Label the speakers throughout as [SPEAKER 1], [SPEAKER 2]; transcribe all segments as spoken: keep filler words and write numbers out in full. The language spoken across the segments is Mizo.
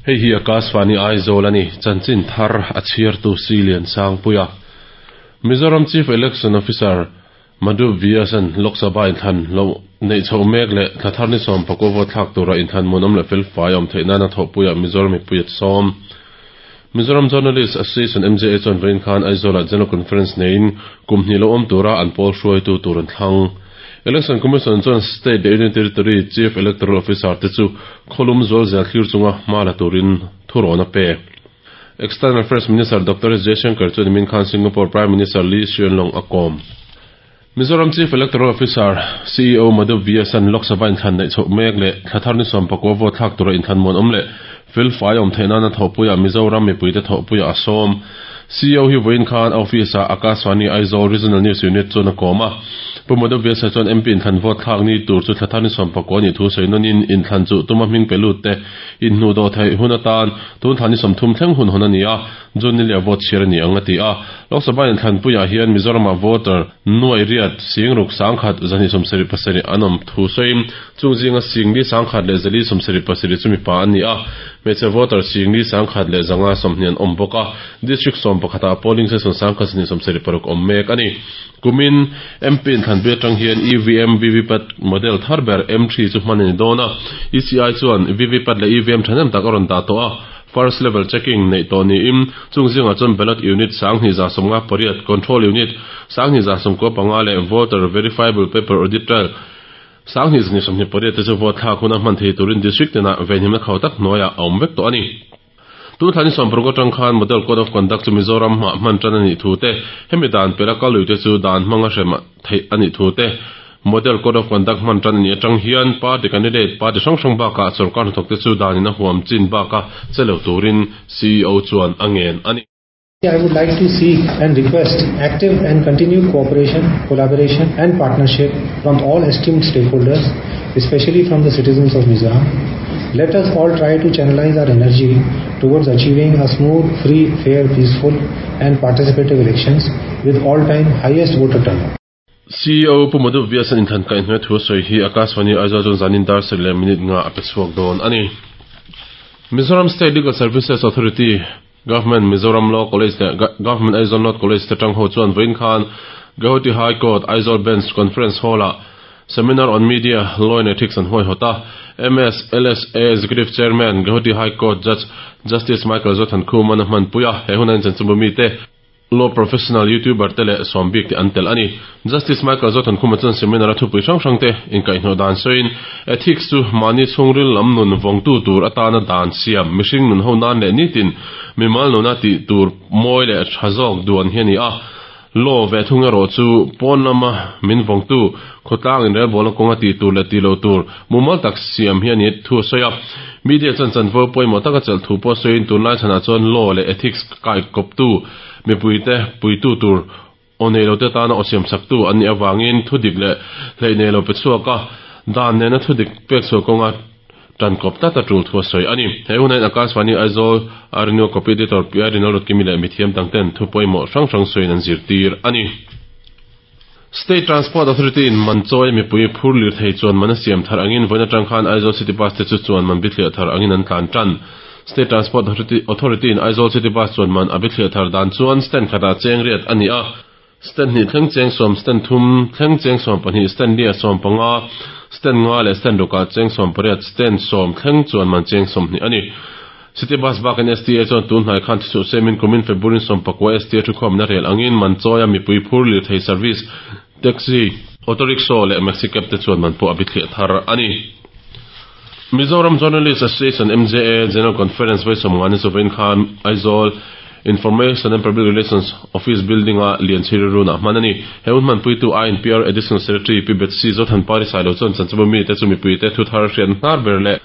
[SPEAKER 1] Hei hi Akashvani Aizawl ani chanchin thar a chhiartu Silian Sangpuia. Mizoram Chief Election Officer Madhu Vyasan Lok Sabha inthlan lo nei chho mek leh thlathar ni sawm pakua vote thlak tura inthlan muanawm leh fel fai awm theih nana thawhpuia Mizoram mipui a sawm. Mizoram Journalist Association M J A chuan vawiin khan Aizawlah General Conference neiin kum hnih lo awm tura an pawl hruaitu tur an thlang. Election Commission chuan State leh Union Territory Chief Electoral Officer te chu kholum zual zel thlir chunga hma la turin thurawn a pe. External Affairs Minister Doctor S Jaishankar chuan nimin khan Singapore Prime Minister Lee Hsien Loong a kawm. Mizoram Chief Electoral Officer C E O Madhu Vyasan Lok Sabha inthlan neih chhoh mek leh thlathar ni sawm pakua vote thlak tura inthlan muanawm leh fel fai awm theih nana thawhpuia Mizoram mipuite thawhpuia a sawm. C E O hi vawiin khan office ah Akashvani Aizawl Regional News Unit chuan a kawm a. Pu Madhu Vyasa chuan M P inthlan vote thlak ni tur chu thlathar ni sawm pakua ni thu sawi nawnin inthlan chu tuma hming pe lut te inhnu dawh theih hun atan tun thlan ni sawmthum thleng hun hawn a ni a, June ni leh vote chhiar a ni ang a ti a. Lok Sabha inthlan puiah hian Mizoramah voter nuai riat singruk sangkhat zahnih sawmsarih pasarih an awm thu sawiin chung zinga singli sangkhat leh zali sawmsarih pasarih chu mipa an ni a, hmeichhe voter singli sangkhat leh zanga sawmhnih an awm bawk a. District sawm pakhatah polling station sangkhat zahnih sawmsarih paruk awm mek a ni. Kumin M P inthlan pui atang hian E V M V V PAT model thar ber M three chu hman a ni dawn a. E C I chuan V V PAT leh E V M thahnem tak a rawn dah tawh a. First level checking nei tawh niin chung zingah chuan ballot unit sanghnih za sawmnga pariat, control unit sanghnih za sawmkua panga leh voter verifiable paper audit trail sanghnih zahnih sawmhnih pariat te chu vote thlak huna hman thei turin district tinah venhimna khau tak hnuaiah a awm vek tawh a ni. Tun thlan ni sawm paruk atang khan Model Code of Conduct chu Mizoram hmah hman tan a nih thu te, hemi dan pela kalui te chu dan hmanga hrem theih a nih thu te, Model Code of Conduct hman tan a nih atang hian party candidate party hrang hrang bakah sorkar hnathawk te chu danin a huam chin baka chelo turin C E O chuan a ngen a ni.
[SPEAKER 2] I would like to seek and request active and continued cooperation, collaboration and partnership from all esteemed stakeholders, especially from the citizens of Mizoram. Let us all try to channelize our energy towards achieving a smooth, free, fair, peaceful and participative elections with all-time highest voter turnout.
[SPEAKER 1] C E O Pu Madhu Vyasan inthlan kaihhnawih thu sawi hi Akashvani Aizawl chuan zanin dar sarih leh minute nga a pe chhuak dawn a ni. Mizoram State Legal Services Authority, Government Mizoram Law College leh Government Aizawl North College te tang ho chuan vawiin khan Guwahati High Court Aizawl Bench Conference Hall-ah Seminar on Media, Law and Ethics an huaihawt a. M S L S A Executive Chairman Guwahati High Court Judge Justice Michael Zothan Khuman a hmanpui a, he hun a inchen chumbu mi te law professional YouTuber te leh sawmbik te an tel a ni. Justice Michael Zothan Khuma chuan seminar a thupui hrang hrang te inkaihhnawh dan sawiin ethics chu mahni chhungril lam nun vawngtu tur atana dan siam mihring nun ho nan leh nitin mimal nuna tih tur mawi leh tha zawk duan hi a ni a. Law ve thung erawh chu pawn lama min vawngtu khawtlang inrelbawl a kawnga tih tur leh tih lo tur mumal tak siam hi a ni thu a sawi a. Media chuan chanvo pawimawh taka chelh thu pawh sawiin tunlai chhanah chuan law leh ethics kai kawptu mipuite puitu tur aw nei lo te tana aw siam saktu an nih awangin thu dik leh hleih nei lo pe chhuak a, dan nena thu dik pek chhuah kawnga tan kawp tlat a tul thu a sawi a ni. He hunain Akashvani Aizawl Arinu copy editor P I Rinal Rotkimi leh mithiam dangten thu pawimawh hrang hrang sawiin an zirtir a ni. State Transport Authority in Manchawi mipui phur lir thei chuan man a siam thar angin vawiin atang khan Aizawl City Bus te chu chuan man bithliah thar angin an tlan tan. State Transport Authority in Aizawl City Bus chuan man a bithliah thar dan chuan stand khatah cheng riat a ni a. Stand hnih thleng cheng sawm, stand thum thleng cheng sawm pahnih, stand lia sawm panga, stand nga leh stand rukah cheng sawm pariat, stand sawm thleng chuan man cheng sawmhnih a ni. City Bus bakin S T A chuan tun hnai khan thichuh semin kumin February sawm pakua S T A thukhawmna rel angin Manchawia mipui phur lir thei service, taxi, auto rickshaw leh maxi cab te chuan man pawh a bithliah thar a ni. Mizoram Journalist Association M J A General Conference vawi sawmnga ni chu vawiin khan Aizawl Information and Public Relations Office Building a lian chhiri runah hman a ni. He hun hmanpuitu I N P R Additional Secretary P Betsy Zothan Pari Sailo chuan chanchimbu mi te chu mipui te thu thar hriat hnar ber leh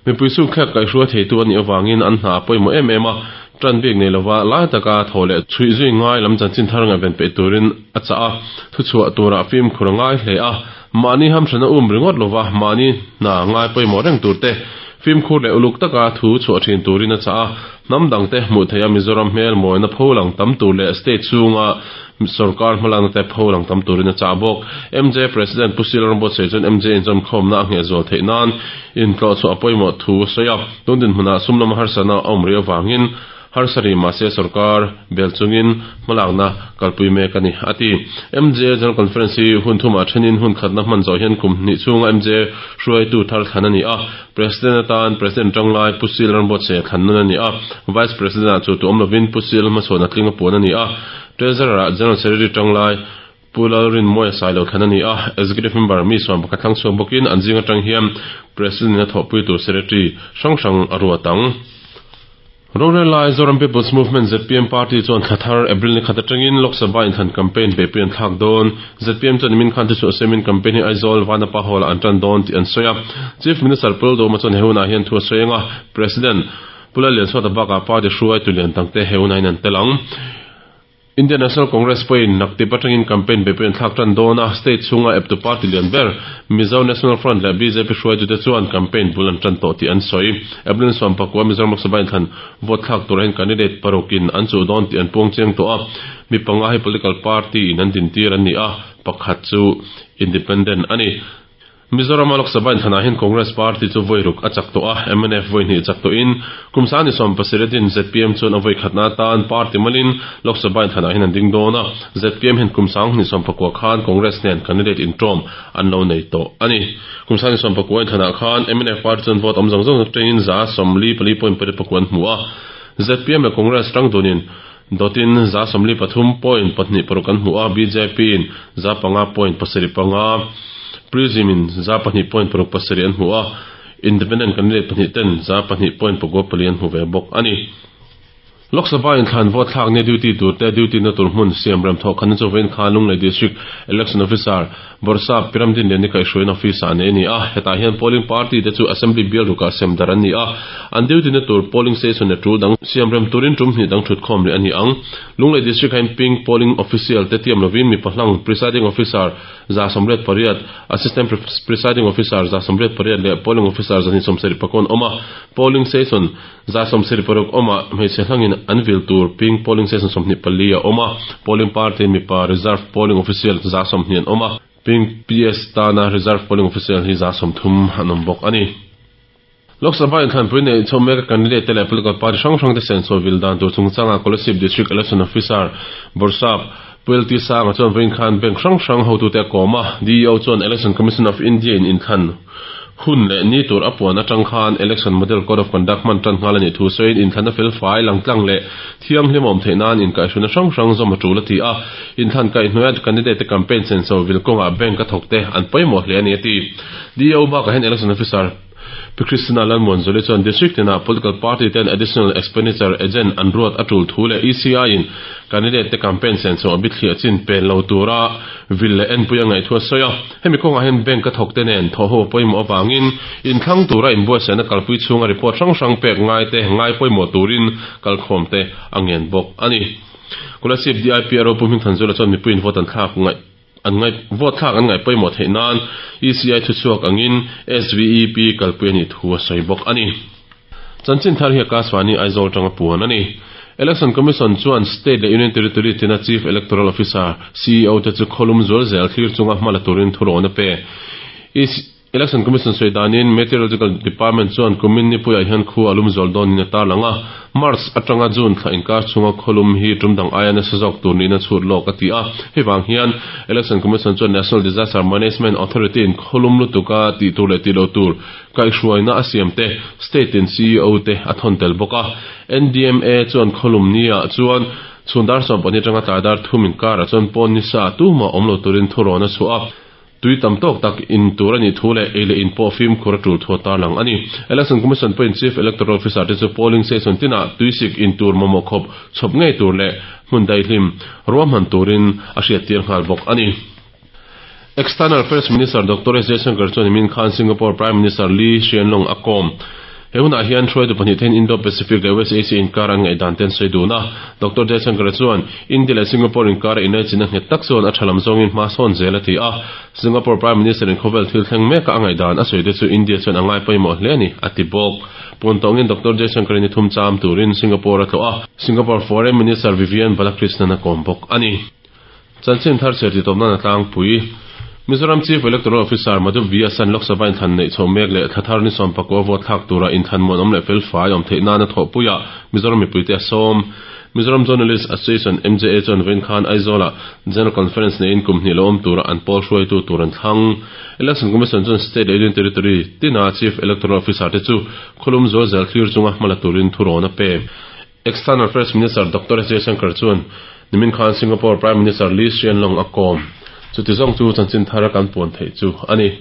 [SPEAKER 1] mipui chu khlek kaihhrua theitu a nih awangin an hna a pawimawh em em a, tan bik nei lova lai taka thaw leh chhuih zui ngai lam chanchin thar ngaih peih turin a chah a, thu chhuah turah fim khur a ngai hle a, mahni hamhrana um ringawt lova mahni hna ngai pawimawh reng tur te Fimkhur leh uluk taka thu chhuah thin turin a chah a, hnam dangte hmuh theih a Mizoram hmel mawina pholang tam tur leh state chhunga sarkar hmalakna te pholang tam turin a chah bawk. M J President Pu C L Rambuatsaih chuan M J inzawmkhawmna a ngheh zual theih nan intlawh chhuah a pawimawh thu a sawi a, tun dinhmunah sum lama harsatna a awm rih avangin harsari mahse sarkar bel chungin hmalakna kalpui mek a ni a ti. M J General Conference hi hun thumah thenin hun khatna hman zawh hian kum hnih chhunga M J hruaitu thar thlan a ni a, President atan President tanglai Pu C L Rambuatsaih thlan nun a ni a, Vice President ah chu tu awm lovin Pu C L hmachhawn a tling a puan a ni a, Treasurer ah General Secretary tanglai Pu Lalrinmawia Sailo thlan a ni a, Executive Member mi sawm pakhat thlang chhuak bawkin an zing atang hian President a thawhpui tur Secretary hrang hrang a ruat ang. Rorel lai Zoram People's Movement Z P M Party chuan thlathar April ni khat atangin Lok Sabha inthlan campaign beihpui an thlak dawn. Z P M chuan min khan chu chu semin campaign hi Aizawl Vanapa Hall an tan dawn tih an sawi a. Chief Minister Pu Lalduhoma chuan he hunah hian thu a sawi anga, President Pu Lallianchhuata bakah party hruai tu lian tangte he hunah hian an tel ang. Indian National Congress pawhin naktip atangin campaign beihpui an thlak tan dawn a, state chhunga eptu party lian ber Mizo National Front leh B J P hruaitute chuan campaign bul an tan tawh tih an sawi. April sawm pakua Mizoram Lok Sabha inthlan vote thlak turah hian candidate parukin an chuh dawn tih an puang chiang tawh a, mi panga hi political party in an dintir an ni a, pakhat chu independent a ni. Mizoram Lok Sabha inthlanah hian Congress Party chu voi ruk a chak tawh a, M N F voi hnih chak tawhin kum sang ni sawm pasarih din Z P M chuan a voi khatna atan party malin Lok Sabha inthlanah hian an ding dawn a, Z P M hian kum sang ni sawm pakua khan Congress nen candidate intawm an lo nei tawh a ni. Kum sang ni sawm pakua inthlanah khan M N F party chuan vote awm zawng zawng atangin za sawmli pali point pariat pakua an hmu a, Z P M leh Congress tang dunin dotin za sawmli pathum point pahnih paruk an hmu a, B J P in za panga point pasarih panga, Prism in za pahnih point paruk pasarih an hmu a, Independent candidate pahnih ten za pahnih point pakua pali an hmu ve bawk a ni. Lok Sabha inthlan vote thlak ne duty tur te duty na tur hmun siam rem thawk khan chu vein khan Lunglei District Election Officer Borsa Piramdin Lian ni kaihhruaiin office ah nei a ni a, hetah hian polling party te chu assembly bial rukah sem dar an ni a, an duty na tur polling station le tul dang siam rem turin tum hnih dang thut khawm leh a ni ang. Lunglei District hian ping polling official te tiam lovin mi pahlang presiding officer za sawmriat pariat, assistant presiding officer za sawmriat pariat leh polling officer za hnih sawmsarih pakua an awm a, polling station za sawmsarih paruk awm a hmeichhe hlangin an vil tur ping polling station sawmhnih pali a awm a, polling party mipa reserve polling official za sawmhnih an awm a, ping P S tana reserve polling official hi za sawmthum an awm bawk a ni. Lok Sabha inthlanpui nei chho mek candidate te leh political party hrang hrang te senso vil dan tur chungchanga Kolasib District Election Officer Borsap Pu L T Sanga chuan vawiin khan bank hrang hrang hotute a kawm a, D E O chuan Election Commission of India in inthlan hun leh ni tur a puan atang khan Election Model Code of Conduct hman tan nghal a nih thu sawiin inthlan a fel fai langtlang leh thianghlim a awm theih nan inkaihhruna hrang hrang zawm a tul a ti a, inthlan kaihhnuaia candidate te campaign senso vil kawngah bank a thawk te an pawimawh hle a ni a ti. D E O bakah hian Election Officer Pu Christina Lalmuanzuli chuan district tinah political party ten additional expenditure agent an ruat a tul thu leh E C I in candidate te campaign senso a bithliah chin pen lo tura vil leh en pui a ngaih thu a sawi a, hemi kawngah hian bank a thawk te nen thaw ho pawimawh avangin inthlang tura inbuatsaihna kalpui chhunga report hrang hrang pek ngai te ngai pawimawh turin kalkhawm te a ngen bawk a ni. Kolasib D I P R O Pu Hmingthanzula chuan mipui in vote an thlak ngaih an ngai vote thlak an ngaih pawimawh theih nan E C I thu chhuak angin S V E P kalpui a nih thu a sawi bawk a ni. Chanchin thar hi Akashvani Aizawl tanga puan a ni. Election Commission chuan State leh Union Territory tina Chief Electoral Officer C E O te chu kholum zual zel thlir chunga hmala turin thu rawn a pe. Election Commission sawi danin Meteorological Department chuan kumin ni puiah hian khu a lum zual dawn in a tarlang a, March atanga June thla inkar chhunga kholum hi tum dang aia nasa zawk tur niin a chhut lawk a ti a, hei vang hian Election Commission chuan National Disaster Management Authority in kholum lutuka tih tur leh tih lo tur kaihhruaina a siam te state in C E O te a thawn tel bawk a. N D M A chuan kholum nia chuan chhundar sawm pahnih atanga tlaidar thum inkar ah chuan pawn ni sa tuma awm lo turin thu rawn a chhuah a, tui tam tawk tak in tur ani thu leh ei leh in pawh fim khur a tul thu a tarlang a ni. Election Commission pawhin Chief Electoral Officer te chu polling station tinah tuisik in tur mamawh khawp chhawp ngei tur leh hmun daihlim ruahman turin a hriat tir nghal bawk a ni. External Affairs Minister Doctor S Jaishankar chuan min khan Singapore Prime Minister Lee Hsien Loong a kawm. He hunah hian hruaitu pahnih ten Indo-Pacific leh West Asia inkar an ngaihdan ten sawi dun a. Doctor Jaishankar chuan India leh Singapore inkar inlaichina nghet tak chuan a thalam zawngin hma sawn zel a ti a. Singapore Prime Minister in khawvel thil thleng mek a ngaihdan a sawi te chu India chuan a ngai pawimawh hle ani a ti bawk. Puntawngin Doctor Jaishankar ni thum cham turin Singapore a tlawh a. Singapore Foreign Minister Vivian Balakrishnan a kawm bawk ani. Chanchin thar cher ti tawpna na tlangpui. Mizoram Chief Electoral Officer Madhu Vyas an Lok Sabha inthlan nei chho mek leh thlathar ni sawm pakua vote thlak tura inthlan muan awm leh fel fai awm theih nana thawhpuia Mizoram mipuite a sawm. Mizoram Journalist Association M J A chuan vawiin khan Aizawla General Conference neiin kum hnih lo awm tura an pawl hruaitu tur an thlang. Election Commission chuan State leh Union Territory tina Chief Electoral Officer te chu khawlum zual zel thlir chunga hmala turin thurawn a pe. External Affairs Minister Doctor S Jaishankar chuan nimin khan Singapore Prime Minister Lee Hsien Loong a kawm. Chuti zawng chu chanchin thar kan puan theih chu ani.